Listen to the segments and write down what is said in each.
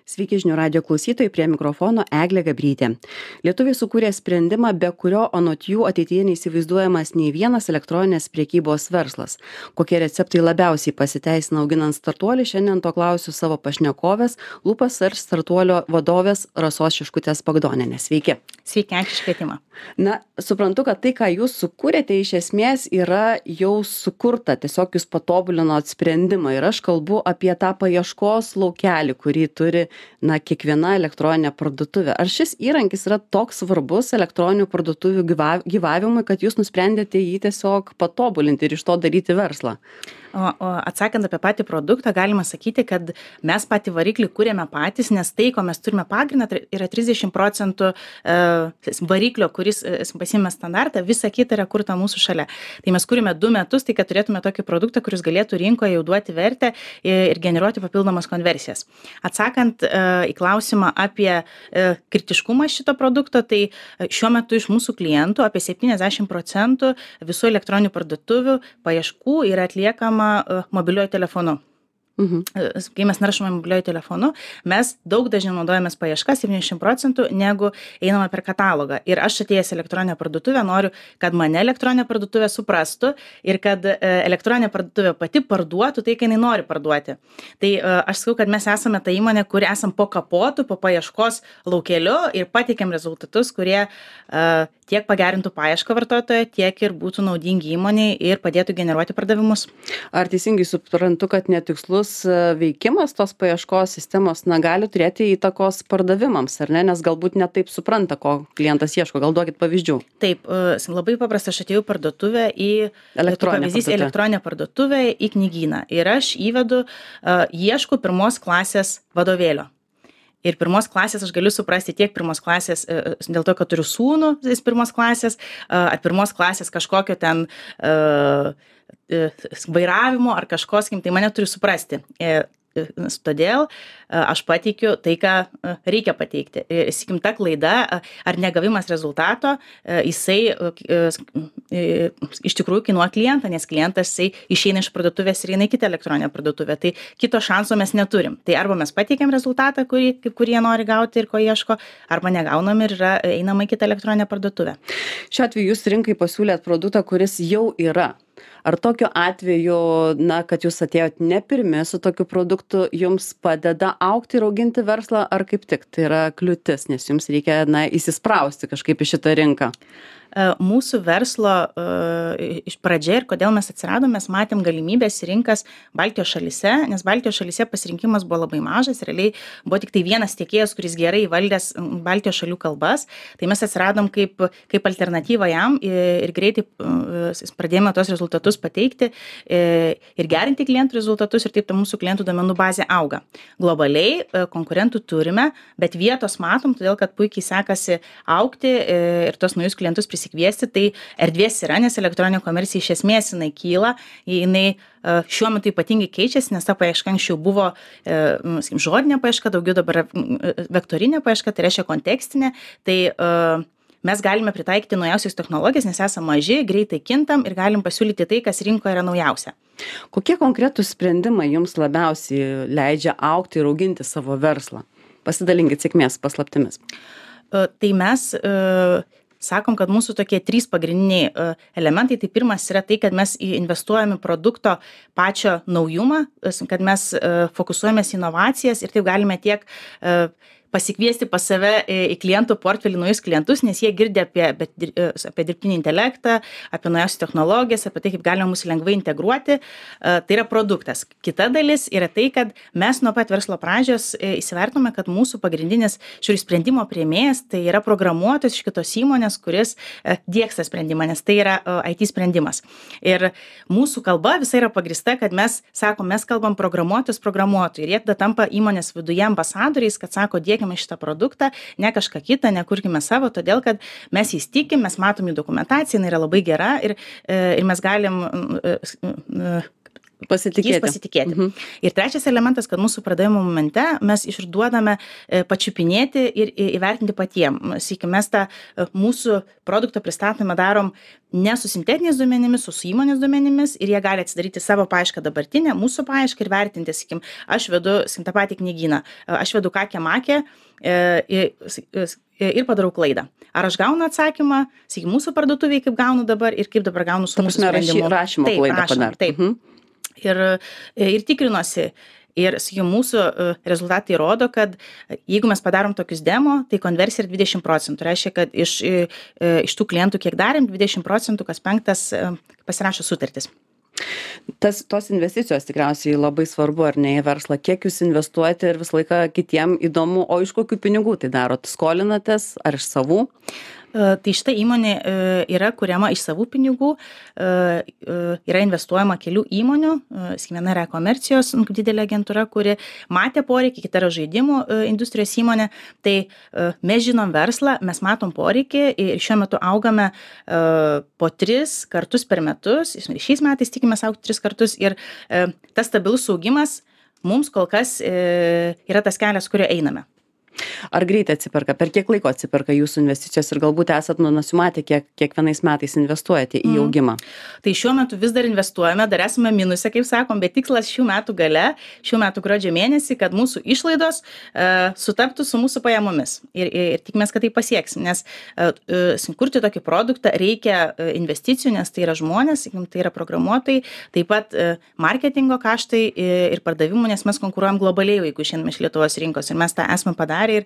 Sveiki žinių radio klausytojai, prie mikrofono Eglė Gabrytė. Lietuviai sukūrė sprendimą, be kurio anot jų ateityje neįsivaizduojamas nei vienas elektroninės priekybos verslas. Kokie receptai labiausiai pasiteisina auginant startuolį, šiandien to klausiu savo pašnekovės, Lupa Search startuolio vadovės Rasos Šiškutės Bagdonienės. Sveiki. Sveiki, ačiū už kvietimą. Na, suprantu, kad tai, ką jūs sukūrėte, iš esmės yra jau sukurta, tiesiog jūs patobulinot sprendimą ir aš kalbu apie tą paieškos laukelį, kurį turi kiekviena elektroninė parduotuvė. Ar šis įrankis yra toks svarbus elektroninių parduotuvių gyvavimui, kad jūs nusprendėte jį tiesiog patobulinti ir iš to daryti verslą? O atsakant apie patį produktą, galima sakyti, kad mes patį variklį kūrėme patys, nes tai, ko mes turime pagrindą, yra 30% variklio, kuris pasiėmė standartą, visa kita yra kurta mūsų šalia. Tai mes kūrėme 2 metus, tai kad turėtume tokį produktą, kuris galėtų rinkoje jau duoti vertę ir generuoti papildomas konversijas. Atsakant į klausimą apie kritiškumą šito produkto, tai šiuo metu iš mūsų klientų apie 70% visų elektroninių parduotuvių paieškų yra atliekama mobiliuoju telefonu. Kai mes naršome mobiliuoju telefonu, mes daug dažniau naudojamės paiešką 70% negu einame per katalogą. Ir aš atėjęs elektroninę parduotuvę noriu, kad mane elektroninė parduotuvė suprastų ir kad elektroninė parduotuvė pati parduotų tai, ką jinai nori parduoti. Tai aš sakau, kad mes esame ta įmonė, kuri esam po kapotu, po paieškos laukeliu ir pateikiam rezultatus, kurie tiek pagerintų paiešką vartotojo, tiek ir būtų naudingi įmoniai ir padėtų generuoti pardavimus. Ar teisingai suprantu, kad netikslus veikimas tos paieškos sistemos gali turėti įtakos pardavimams, ar ne? Nes galbūt ne taip supranta, ko klientas ieško. Gal duokit pavyzdžių. Taip, labai paprasta, aš atėjau parduotuvę į elektroninę parduotuvę į knygyną ir aš įvedu, ieškau 1 klasės vadovėlio. Ir 1 klasės aš galiu suprasti tiek 1 klasės dėl to, kad turiu sūnų 1 klasės, ar 1 klasės kažkokio ten vairavimo ar kažko, tai mane turi suprasti. Todėl aš pateikiu tai, ką reikia pateikti. Sakykim, ta klaida ar negavimas rezultato, jisai iš tikrųjų kainuoja klientą, nes klientas jisai išeina iš parduotuvės ir eina į kitą elektroninę parduotuvę. Tai kito šanso mes neturim. Tai arba mes pateikiam rezultatą, kurį jie nori gauti ir ko ieško, arba negaunam ir einama į kitą elektroninę parduotuvę. Šiuo atveju jūs rinkai pasiūlėt produktą, kuris jau yra. Ar tokiu atveju, kad jūs atėjot ne pirmi su tokiu produktu, jums padeda augti ir auginti verslą, ar kaip tik tai yra kliūtis, nes jums reikia įsisprausti kažkaip į šitą rinką? Mūsų verslo iš pradžia ir kodėl mes atsiradom, mes matėm galimybės rinkas Baltijos šalyse, nes Baltijos šalyse pasirinkimas buvo labai mažas, realiai buvo tik tai vienas tiekėjas, kuris gerai valdęs Baltijos šalių kalbas, tai mes atsiradom kaip alternatyva jam ir greitai pradėjome tos rezultatus pateikti ir gerinti klientų rezultatus ir taip ta mūsų klientų duomenų bazė auga. Globaliai konkurentų turime, bet vietos matom, todėl kad puikiai sekasi augti ir tos naujus klientus prisikviesti, tai erdvės yra, nes elektroninė komercija iš esmės jinai kyla, jinai šiuo metu ypatingai keičiasi, nes ta paieška anksčiau buvo žodinė paieška, daugiau dabar vektorinė paieška, tai reiškia kontekstinė, tai mes galime pritaikyti naujausias technologijas, nes esame maži, greitai kintam ir galim pasiūlyti tai, kas rinkoje yra naujausia. Kokie konkretūs sprendimai jums labiausiai leidžia augti ir auginti savo verslą? Pasidalinkit sėkmės paslaptimis. Tai mes sakom, kad mūsų tokie 3 pagrindiniai elementai. Tai pirmas yra tai, kad mes investuojame produkto pačio naujumą, kad mes fokusuojamės inovacijas ir taip galime tiek pasikviesti pas save į klientų portfelį naujus klientus, nes jie girdi apie dirbtinį intelektą, apie naujausias technologijas, apie tai, kaip galima mus lengvai integruoti. Tai yra produktas. Kita dalis yra tai, kad mes nuo pat verslo pradžios įsivertinome, kad mūsų pagrindinis šių sprendimo priėmėjas tai yra programuotojas iš kitos įmonės, kuris diegs tą sprendimą, nes tai yra IT sprendimas. Ir mūsų kalba visai yra pagrįsta, kad mes kalbam programuotojus programuotojų ir jie tada tampa įmonės viduje ambasadoriais, kad sako, dėkime šitą produktą, ne kažką kitą, nekurkime savo, todėl kad mes jais tikim, mes matom jų dokumentaciją, jinai yra labai gera ir mes galim Pasitikėti. Pasitikėti. Ir trečias elementas, kad mūsų pardavimo momente mes išduodame pačiupinėti ir įvertinti patiem. Sakykime, mes tą mūsų produktą pristatymą darom ne su sintetiniais duomenimis, su įmonės duomenimis ir jie gali atsidaryti savo paiešką dabartinę, mūsų paiešką ir vertinti, sakykime, aš vedu tą patį knygyną, aš vedu kakę makę ir padarau klaidą. Ar aš gaunu atsakymą, sakykime, mūsų parduotuviai kaip gaunu dabar ir kaip dabar gaunu su mūsų sprendimu. Rašymo klaidą padarti. Taip. Ir tikrinuosi. Ir, sakykime, mūsų rezultatai rodo, kad jeigu mes padarom tokius demo, tai konversija yra 20%. Reiškia, kad iš tų klientų, kiek darėm, 20% kas 5 pasirašo sutartis. Tos investicijos tikriausiai labai svarbu, ar ne, į verslą. Kiek jūs investuojate ir visą laiką kitiem įdomu, o iš kokių pinigų tai darot? Skolinatės ar iš savų? Tai šita įmonė yra kuriama iš savų pinigų, yra investuojama kelių įmonių, viena yra komercijos didelė agentūra, kuri matė poreikį, kita yra žaidimų industrijos įmonė. Tai mes žinom verslą, mes matom poreikį ir šiuo metu augame po 3 kartus per metus, šiais metais tikimės augti 3 kartus ir tas stabilus augimas mums kol kas yra tas kelias, kurio einame. Ar greitai atsiperka? Per kiek laiko atsiperka jūsų investicijos ir galbūt esat nusimatę, kiekvienais metais investuojate į augimą? Tai šiuo metu vis dar investuojame, dar esame minuse, kaip sakom, bet tikslas šių metų gale, šių metų gruodžio mėnesį, kad mūsų išlaidos sutaptų su mūsų pajamomis. Ir tikimės, kad tai pasieksim, nes kurti tokį produktą reikia investicijų, nes tai yra žmonės, tai yra programuotojai, taip pat marketingo kaštai ir pardavimų, nes mes konkuruojam globaliai, jeigu šiandien iš Lietuvos rinkos ir mes tą esame padarę. Ir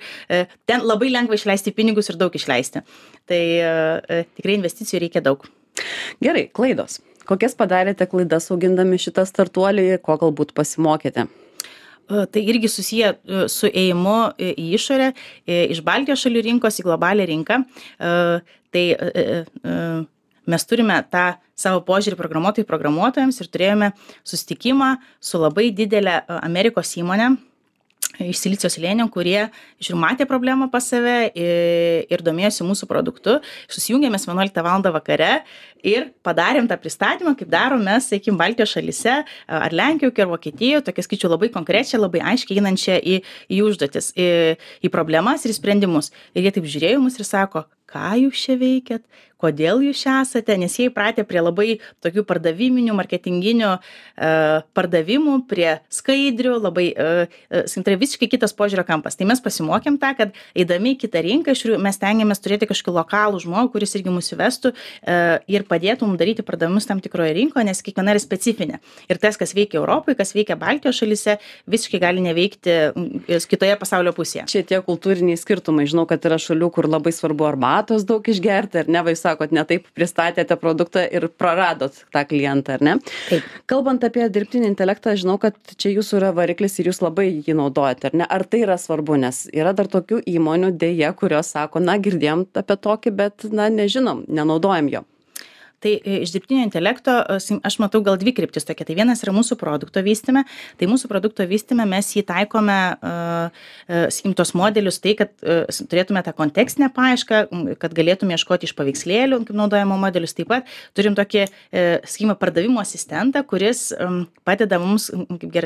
ten labai lengva išleisti pinigus ir daug išleisti. Tai tikrai investicijų reikia daug. Gerai, klaidos. Kokias padarėte klaidas augindami šitą startuolį, ko galbūt pasimokėte? Tai irgi susiję su ėjimu į išorę, iš Baltijos šalių rinkos į globalią rinką. Tai mes turime tą savo požiūrį programuotojams ir turėjome susitikimą su labai didelė Amerikos įmonė iš Silicio slėnio, kurie matė problemą pas save ir domėjosi mūsų produktu. Susijungėmės 11 val. Vakare ir padarėm tą pristatymą, kaip darom mes, sakykime, Baltijos šalyse, ar Lenkijoje, ar Vokietijoje, tokia skaičiu labai konkrečią, labai aiškiai einančią į užduotis, į problemas ir sprendimus. Ir jie taip žiūrėjo mus ir sako, ką jūs čia veikiat, kodėl jūs čia esate, nes jie įpratę prie labai tokių pardaviminių, marketinginių pardavimų, prie skaidrių, labai tai visiškai kitas požiūrio kampas. Tai mes pasimokėm tą, kad eidami į kitą rinką, mes tengiamės turėti kažkokį lokalų žmogų, kuris irgi mus įvestų ir padėtų mums daryti pardavimus tam tikroje rinkoje, nes kiekviena yra specifinė. Ir tas, kas veikia Europoje, kas veikia Baltijos šalyse, visiškai gali neveikti kitoje pasaulio pusėje. Čia tie kultūriniai skirtumai. Žinau, kad yra šalių, kur labai svarbu arbatos daug išgerti, ar ne, vai sakot, ne taip pristatėte produktą ir praradot tą klientą, ar ne? Taip. Kalbant apie dirbtinį intelektą, žinau, kad čia jūsų yra variklis ir jūs labai jį naudojate, ar ne? Ar tai yra svarbu, nes yra dar tokių įmonių dėja, kurios sako, na, girdėjom apie tokį, bet, na, nežinom, nenaudojam jo. Tai iš dirbtinio intelekto aš matau gal 2 kryptis tokia. Tai vienas yra mūsų produkto vystyme. Tai mūsų produkto vystyme mes jį taikome, sakykim, tos modelius, tai, kad turėtume tą kontekstinę paiešką, kad galėtume ieškoti iš paveikslėlių, kaip naudojamo modelius. Taip pat turim tokį, sakykim, pardavimo asistentą, kuris padeda mums kaip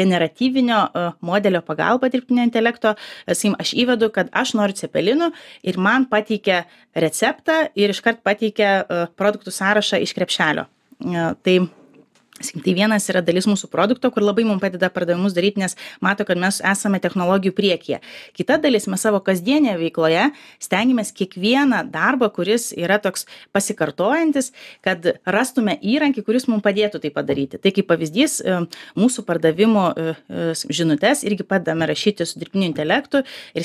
generatyvinio modelio pagalba dirbtinio intelekto. Sakykim, aš įvedu, kad aš noriu cepelinų ir man pateikia receptą ir iškart pateikia produktų sąrašą iš krepšelio. Tai vienas yra dalis mūsų produkto, kur labai mums padeda pardavimus daryti, nes mato, kad mes esame technologijų priekyje. Kita dalis, mes savo kasdienėje veikloje stengiamės kiekvieną darbą, kuris yra toks pasikartojantis, kad rastume įrankį, kuris mums padėtų tai padaryti. Tai kaip pavyzdys, mūsų pardavimo žinutes irgi padame rašyti su dirbtiniu intelektu ir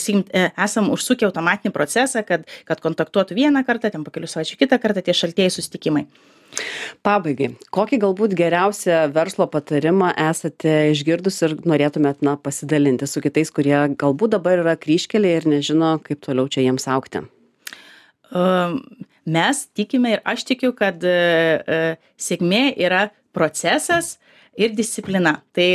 esam užsukę automatinį procesą, kad kontaktuotų vieną kartą, ten po kelių savaičių kitą kartą tie šaltieji susitikimai. Pabaigai, kokį galbūt geriausią verslo patarimą esate išgirdus ir norėtumėt pasidalinti su kitais, kurie galbūt dabar yra kryžkelėje ir nežino, kaip toliau čia jiems augti? Mes tikime ir aš tikiu, kad sėkmė yra procesas ir disciplina. Tai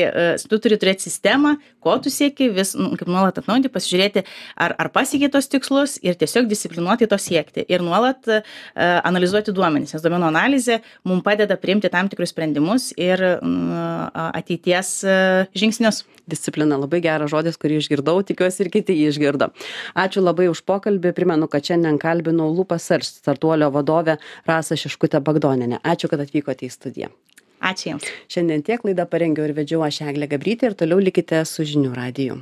tu turi turėti sistemą, ko tu sieki, vis kaip nuolat atnaujinti, pasižiūrėti, ar pasiekia tos tikslus ir tiesiog disciplinuoti to siekti. Ir nuolat analizuoti duomenis, nes duomenų analizė mums padeda priimti tam tikrus sprendimus ir ateities žingsnius. Disciplina labai geras žodis, kurį išgirdau, tikiuosi ir kiti jį išgirdo. Ačiū labai už pokalbį. Primenu, kad šiandien kalbinau LupaSearch startuolio vadovę Rasą Šiškutę Bagdonienę. Ačiū, kad atvykote į studiją. Ačiū Jums. Šiandien tiek, laidą parengiau ir vedžiau aš Eglė Gabrytė ir toliau likite su žinių radiju.